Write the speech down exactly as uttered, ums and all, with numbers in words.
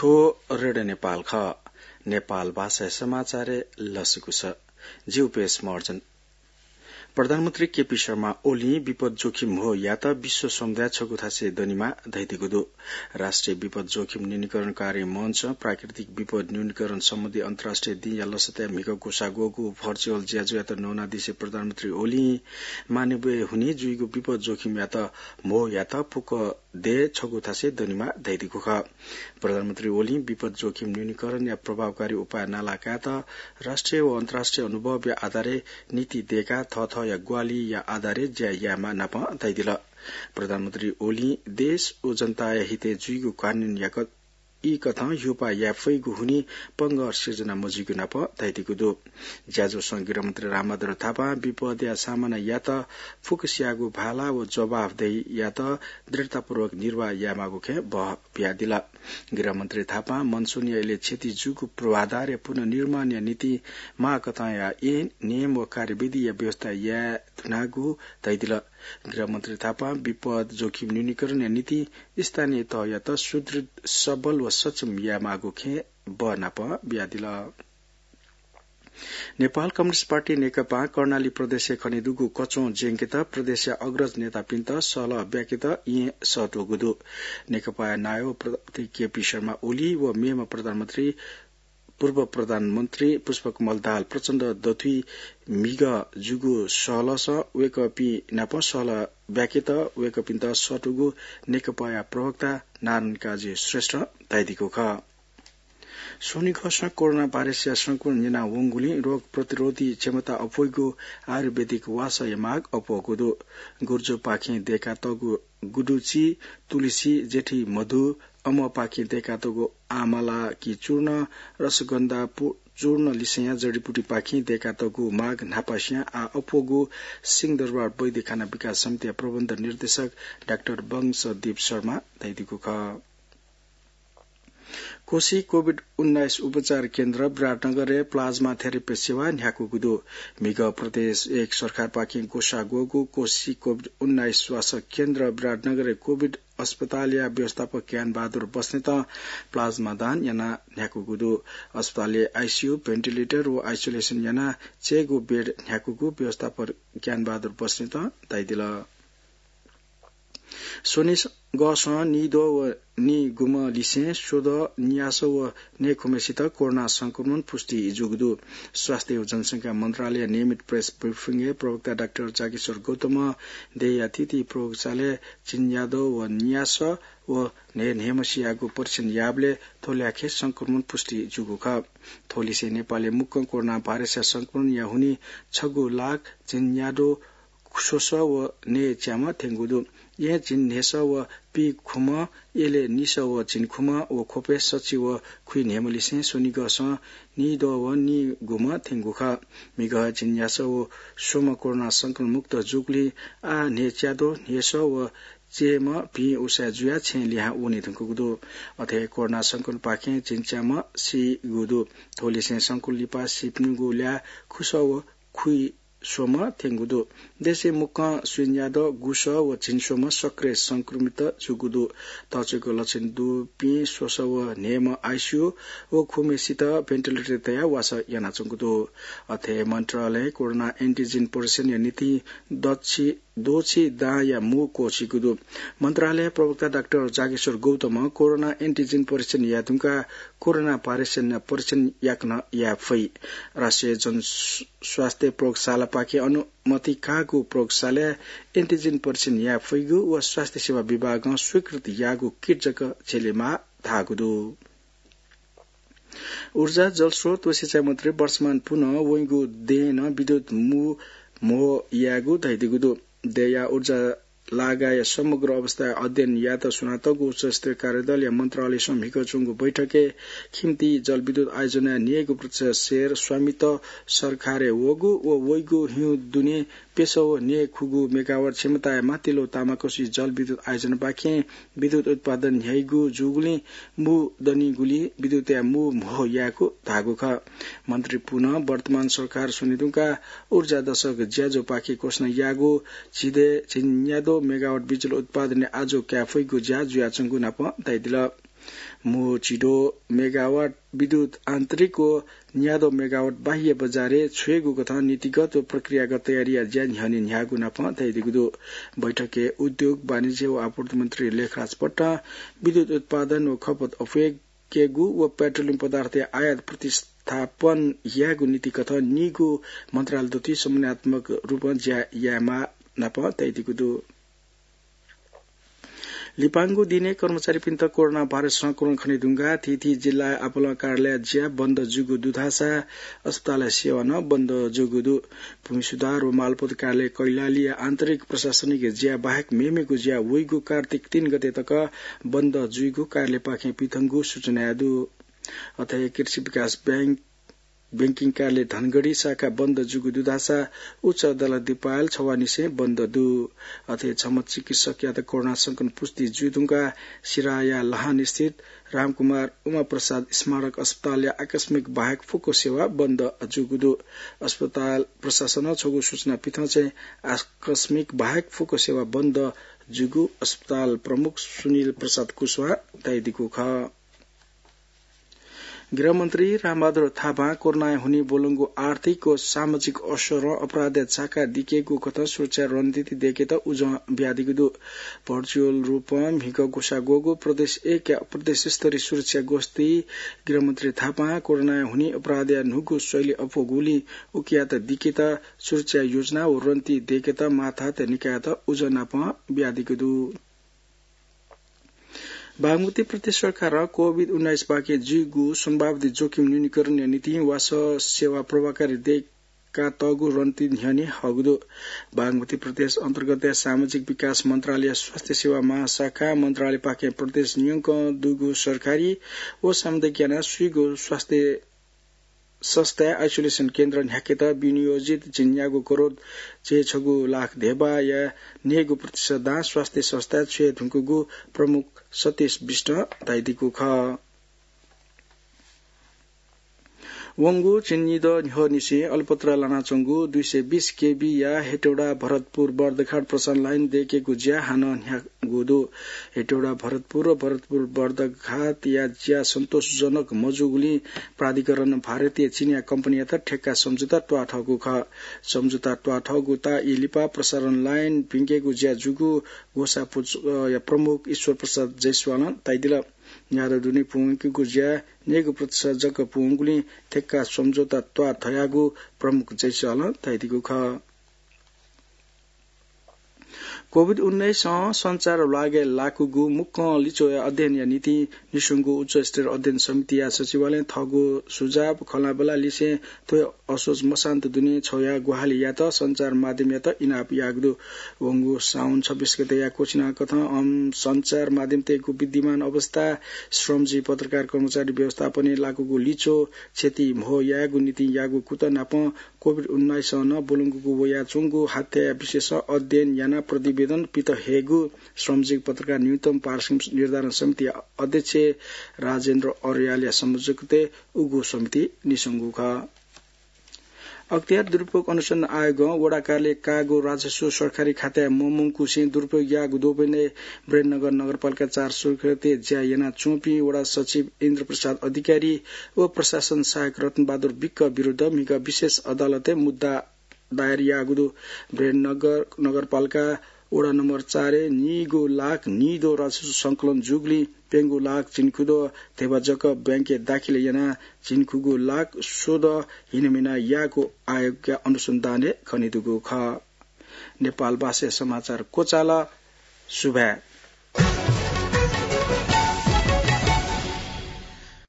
थ्व रेडियो नेपाल खः। नेपाल भाषाया समाचारय् लसकुस। जि उपेश महर्जन। प्रधानमन्त्री केपी शर्मा ओलीं विपद जोखिम म्हो यात विश्व समुदाय छगू थासय् दनेमाः धयादीगु दु। राष्ट्रिय विपद जोखिम न्यूनीकरण कार्य मञ्च प्राकृतिक विपद न्यूनीकरण सम्बन्धी अन्तर्राष्ट्रिय दिंया लसताय् म्हिगः ग्वसाः ग्वःगु भर्चुअल ज्याझ्वःयात न्वनादिसें प्रधानमन्त्री ओलीं मानवीय हुनिं जुइगु विपद जोखिमयात म्हो यात फुक्क देय् छगू थासय् दनेमाः धयादीगु खः। प्रधानमन्त्री ओलीं विपद जोखिम न्यूनीकरणया प्रभावकारी उपाय नाला कायेत राष्ट्रिय व अन्तर्राष्ट्रिय अनुभवया आधारय् नीति दय्काः थःथःया ग्वाहालिया आधारय् ज्या यायेमाः नापं धयादिल। प्रधानमन्त्री ओलीं देश व जनताया हितय् जुइगु कानूनया क-, ई कथं ह्यूपाः याये फइगु हुनिं पंगः सिर्जना मजुइगु नापं धयादीगु दु। ज्याझ्वलं गृहमन्त्री रामबहादुर थापां विपदया सामना यात फुक्कसियागु भाला व जवाफदेहीयात दृढतापूर्वक निर्वाह यायेमाःगु खँय् बः बियादिल। गृहमन्त्री थापां मनसुनया इलय् क्षति जूगु पूर्वाधारया पुनर्निर्माणया निंतिं माःकथंया ऐन, नियम व कार्यविधिया व्यवस्था याये धुनागु धयादिल। गृहमन्त्री थापां विपद जोखिम न्यूनीकरणया निंतिं स्थानीय तहयात सुदृढ, सबल व सक्षम यायेमाःगु खँय् बः नापं बियादिल। नेपाल कम्युनिस्ट पार्टी नेकपां कर्णाली प्रदेशय् खनेदुगु कच्वं ज्यंकेत प्रदेशया अग्रज नेतापिन्त सहलह ब्याकेत येँ सःतूगु दु। नेकपाया नायः प्र-, केपी शर्मा ओली व मेम्ह प्रधानमन्त्री, पूर्व प्रधानमन्त्री पुष्पकमल दाहाल प्रचण्ड दथुइ म्हिगः जूगु सहलहसं वय्कःपिं नाप सहलह ब्याकेत वय्कःपिन्त सःतूगु नेकपाया प्रवक्ता नारायण काजी श्रेष्ठं धयादीगु खः। स्वनिगःसं कोरोना भाइरसया संक्रमण न्यना वंगुलिं रोग प्रतिरोधी क्षमता अप्वइगु आयुर्वेदिक वासःया माग अप्वःगु दु। गुर्जोपाखें दय्कातःगु गुडुचि, तुलसी, जेठी मधु, अमवापाखें दय्कातःगु आमलाकी चूर्ण, रसगन्धा पु-, चूर्ण लिसेंया जडीबुटीपाखें दय्कातःगु माग न्हापासियां आः अप्वःगु सिंहदरबार वैद्य खाना विकास समितिया प्रबन्ध निर्देशक डाक्टर वंशदीप शर्मां धयादीगु खः। कोशी कोभिड उन्नाइस उपचार केन्द्र विराटनगरय् प्लाज्मा थेरापी सेवा न्ह्याकूगु दु। म्हिगः प्रदेश एक सरकारपाखें ग्वसाः ग्वःगु कोशी कोभिड उन्नाइस स्वास्थ्य केन्द्र विराटनगरय् कोभिड अस्पतालया व्यवस्थापक ज्ञानबहादुर बस्नेतं प्लाज्मा दान यानाः न्ह्याकूगु दु। अस्पतालय् आइसियु, भेन्टिलेटर व आइसोलेसन यानाः चय्गू बेड न्ह्याकूगु व्यवस्थापक ज्ञानबहादुर बस्नेतं धयादिल। स्वनिगःसं नीद्वः व नीगुम्ह लिसें स्वद्वः, न्यासः व नयेखुम्हेसित कोरोना संक्रमण पुष्टि जूगु दु। स्वास्थ्य व जनसंख्या मन्त्रालयया नियमित प्रेस ब्रिफिङय् प्रवक्ता डाक्टर जागेश्वर गौतमं देय्या थीथी प्रयोगशालाय् झिंन्याद्वः व न्यासः व न्हय्न्हय्म्हेसियागु परीक्षण याःबलय् थ्व ल्याखय् संक्रमण पुष्टि जूगु खः। थ्व लिसें नेपालय् मुक्कं कोरोना भाइरसया संक्रमणया हुनिं छगू लाख झिंन्याद्वः स्वसः व नयेच्याम्ह थ्यंगु दु। येँ झिंन्हय्सः व पीखुम्ह, यलय् निसः व झिंखुम्ह व ख्वपय् सछि व खुइन्हय्म्ह लिसें स्वनिगःसं नीद्वः व नीगुम्ह थ्यंगु खः। म्हिगः झिंन्यासः व स्वम्ह कोरोना संक्रमण मुक्त जूगुलिं आः न्हय्च्याद्वः, न्हय्सः व च्यय्म्ह भिं उसाँय् जुयाः छेँय् लिहां वने धुंकूगु दु। अथे हे कोरोना संक्रमणपाखें झिंच्याम्ह सीगु दु। थ्व लिसें संक्रमण लिपा सीपिनिगु ल्याः खुसः व खुइस्वम्ह थ्यंगु दु। देशय् मुक्कं सुइन्याद्वः गुसः व झिंस्वम्ह सक्रिय संक्रमित जूगु दु। तःच्वय्क लक्षण दुपिं स्वसः व न्हय्म्ह आइसियु व खुम्हेसित भेन्टिलेटर तयाः वासः यानाच्वंगु दु। अथे हे मन्त्रालयं कोरोना एन्टिजेन परीक्षणया निंतिं दछि द्वःछि दांया मू क्वःछिइगु दु। मन्त्रालय प्रवक्ता डाक्टर जागेश्वर गौतमं कोरोना एन्टिजेन परीक्षण याये धुंकाः कोरोना भाइरसया परीक्षण याकनं याये फइ। राष्ट्रिय जनस्वास्थ्य प्रयोगशालापाखें अनुमति काःगु प्रयोगशालाय् एन्टिजेन परीक्षण याये फइगु व स्वास्थ्य सेवा विभागं स्वीकृत याःगु किट जक झेलेमाः धाःगु दु। ऊर्जा, जलस्रोत व सिँचाइ मन्त्री वर्षमान पुनं वइगु दँय् नं विद्युत मू म्हो यायेगु धयादीगु दु। दँया ऊर्जा लागाया समग्र अवस्था अध्ययन यायेत स्वनातःगु उच्चस्तरीय कार्यदलया मन्त्रालयसं म्हिगः च्वंगु बैठकय् खिम्ती जलविद्युत आयोजनाया न्हय्गू प्रतिशत सेयर स्वामित्व सरकारय् वःगु व वइगु हिउँ दुने प्यसः व न्हय्खुगू मेगावाट क्षमताया माथिल्लो तामाकोशी जलविद्युत आयोजनापाखें विद्युत उत्पादन न्ह्याइगु जूगुलिं मू दनिगुलिं विद्युतया मू म्हो यायेगु धाःगु खः। मन्त्री पुनं वर्तमान सरकार स्वने धुंकाः ऊर्जा दशक ज्याझ्वःपाखे घोषणा याःगु झिदँय् झिंन्याद्वः मेगावाट बिजुली उत्पादनय् आजु काये फइगु ज्या जुयाच्वंगु नापं धयादिल। मू चिदो मेगावाट विद्युत आन्तरिक व न्यादो मेगावाट बाह्य बजारय् छ्वयेगु कथं नीतिगत व प्रक्रियागत तयारीया ज्या न्ह्यःने न्ह्याःगु नापं धयादीगु दु। बैठकय् उद्योग, वाणिज्य व आपूर्ति मन्त्री लेखराज भट्टं विद्युत उत्पादन व खपत अप्वयेकेगु व पेट्रोलियम पदार्थया आयात प्रतिस्थापन यायेगु नीति कथं नीगू मन्त्रालय दथुइ समन्वयात्मक रूपं ज्या यायेमाः नापं धयादीगु दु। लिपांगु दिनय् कर्मचारीपिन्त कोरोना भाइरस संक्रमण खनेधुंकाः थीथी जिल्लाय् आपालं कार्यालय ज्या बन्द जूगु दु धाःसा अस्पतालया सेवा नं बन्द जूगु दु। भूमि सुधार व मालपोत कार्यालय कैलालीया आन्तरिक प्रशासनिक ज्या बाहेक मेमेगु ज्या वइगु कार्तिक तीन गते तक बन्द जुइगु कार्यालयपाखें पिथंगु सूचनाय् दु। अथे कृषि विकास बैंक बैंकिङ कार्यालय धनगढी शाखा बन्द जूगु दु धाःसा उच्च अदालत दिपायल छवानिसें बन्द दु। अथे छम्ह चिकित्सकयात कोरोना संक्रमण पुष्टि जुइधुंकाः सिराया लहान स्थित रामकुमार उमाप्रसाद स्मारक अस्पतालया आकस्मिक बाहेक फुक्क सेवा बन्द जूगु दु। अस्पताल प्रशासनं छगू सूचना पिथं चाहिँ आकस्मिक बाहेक फुक्क सेवा बन्द जूगु अस्पताल प्रमुख सुनिल प्रसाद कुशवाहां धयादीगु खः। गृहमन्त्री रामबहादुर थापां कोरोनाया हुनिं ब्वलंगु आर्थिक व सामाजिक असरं अपराधया छाका दिकेगु कथं सुरक्षा रणनीति दय्केत उजं बियादीगु दु। भर्चुअल रूपं म्हिगः ग्वसाः ग्वःगु प्रदेश एकया प्रदेश स्तरीय सुरक्षा गोष्ठीइ गृहमन्त्री थापां कोरोनाया हुनिं अपराधया न्हूगु शैली अप्वःगुलिं उकियात दिकेत सुरक्षा योजना व रणनीति दय्केत माथात निकायत उजं नापं बियादीगु दु। बागमती प्रदेश सरकारं कोभिड उन्नाइस पाखें जुइगु सम्भावित जोखिम न्यूनीकरणया निंतिं वासः सेवा प्रभावकारी दय्कातःगु रणनीति न्ह्यःने हःगु दु। बागमती प्रदेश अन्तर्गतया सामाजिक विकास मन्त्रालय स्वास्थ्य सेवा महाशाखा मन्त्रालयपाखें प्रदेश न्यंकं दुगु सरकारी व सामुदायिक यानाः स्वीगु स्वास्थ्य संस्थाय् आइसोलेसन केन्द्र न्ह्याकेत विनियोजित झिंन्यागू करोड चय्छगू लाख धेबाया न्यय्गू प्रतिशत दां स्वास्थ्य संस्थाय् छ्वये धुंकूगु प्रमुख सतीश विष्टं धयादीगु खः। वंगु झिंनिदँ न्ह्यःनिसें अलपत्र लानाच्वंगु दुई सय बीस केबीया हेटौडा भरतपुर बर्दघाट प्रसारण लाइन दय्केगु ज्या हानं न्ह्याःगु दु। हेटौडा भरतपुर व भरतपुर बर्दघाटया ज्या सन्तोषजनक मजूगुलिं प्राधिकरणं भारतीय चिनियाँ कम्पनीयात ठेक्का सम्झौता त्वाःथःगु खः। सम्झौता त्वाःथःगु ताःई लिपा प्रसारण लाइन भिंकेगु ज्या जूगु ग्वसाः पुचःया प्रमुख ईश्वर प्रसाद जैसवालं धयादिल। न्यादँ दुने पूवंकेगु ज्या न्यय्गू प्रतिशत जक पूवंगुलिं ठेक्का सम्झौता त्वाःथयागु प्रमुख जैसवालं धयादीगु खः। कोभिड उन्नाइसं सञ्चार ल्वागय् लाकूगु मुक्कं लिच्वःया अध्ययनया निंतिं निस्वंगु उच्चस्तरीय अध्ययन समितिया सचिवालयं थःगु सुझाव खँल्हाबल्हा लिसें थ्व असोज मसान्त दुने छ्वया ग्वाहालि यायेत सञ्चार माध्यमयात इनाप याःगु दु। वंगु साउन छब्बीस गतेया क्वचिनाकथं अन सञ्चार माध्यमतय्गु विद्यमान अवस्था, श्रमजीवी पत्रकार कर्मचारी व्यवस्थापनय् लाकूगु लिच्वः, क्षति म्हो यायेगु निंतिं याःगु कुतः नापं कोभिड उन्नाइसं नं ब्वलंकूगु वयाच्वंगु हत्याया विषयसं अध्ययन यानाः प्रतिवेदन पित हयेगु श्रमजीवी पत्रकार न्यूनतम पारिश्रमिक निर्धारण समिति अध्यक्ष राजेन्द्र अर्यालया संयोजकत्वय् उगु समितिं निस्वंगु खः। अख्तियार दुरुपयोग अनुसन्धान आयोगं वडा कार्यालयय् काःगु राजस्व सरकारी खाताय् ममंकुसें दुरुपयोग याःगु द्वपय्नय् विरेन्द्रनगर नगरपालिका चार सुर्खेतय् ज्या यानाच्वंपिं वडा सचिव इन्द्रप्रसाद अधिकारी व प्रशासन सहायक रत्नबहादुर विक्क विरुद्ध म्हिगः विशेष अदालतय् मुद्दा दायर याःगु दु। विरेन्द्रनगर नगरपालिका वडा नम्बर चारय् नीगू लाख नीदँ राजस्व संकलन जूगुलिं प्यंगू लाख झिंखुदँ धेबा जक बैंकय् दाखिल यानाः झिंखुगू लाख स्वदँ हिनामिना याःगु आयोगया अनुसन्धानय् खनेदुगु खः। नेपाल भाषाय् समाचार क्वचाल। सुभाय्।